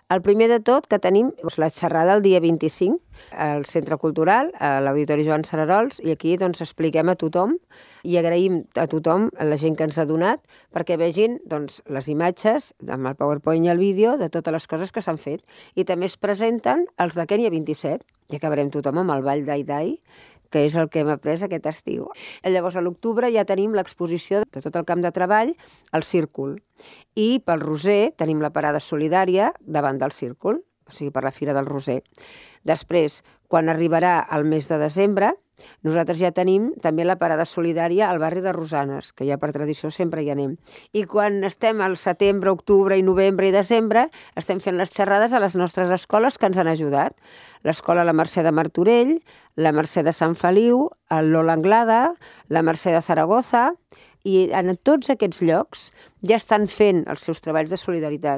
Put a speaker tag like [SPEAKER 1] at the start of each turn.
[SPEAKER 1] El primer de tot que tenim la xerrada el dia 25 al Centre Cultural, a l'Auditori Joan Cerarols, i aquí doncs expliquem a tothom i agraïm a tothom, a la gent que ens ha donat, perquè vegin doncs, les imatges amb el PowerPoint i el vídeo de totes les coses que s'han fet. I també es presenten els de Kènia 27, i acabarem tothom amb el Ball d'Ai-Dai, que és el que hem après aquest estiu. Llavors, a l'octubre ja tenim l'exposició de tot el camp de treball al Círcul. I pel Roser tenim la parada solidària davant del Círcul, o sigui, per la Fira del Roser. Després, quan arribarà el mes de desembre, nosaltres ja tenim també la parada solidària al barri de Rosanes, que ja per tradició sempre hi anem. I quan estem al setembre, octubre i novembre i desembre, estem fent les xerrades a les nostres escoles que ens han ajudat. L'escola La Mercè de Martorell, la Mercè de Sant Feliu, el Lola Anglada, la Mercè de Zaragoza, i en tots aquests llocs ja estan fent els seus treballs de solidaritat.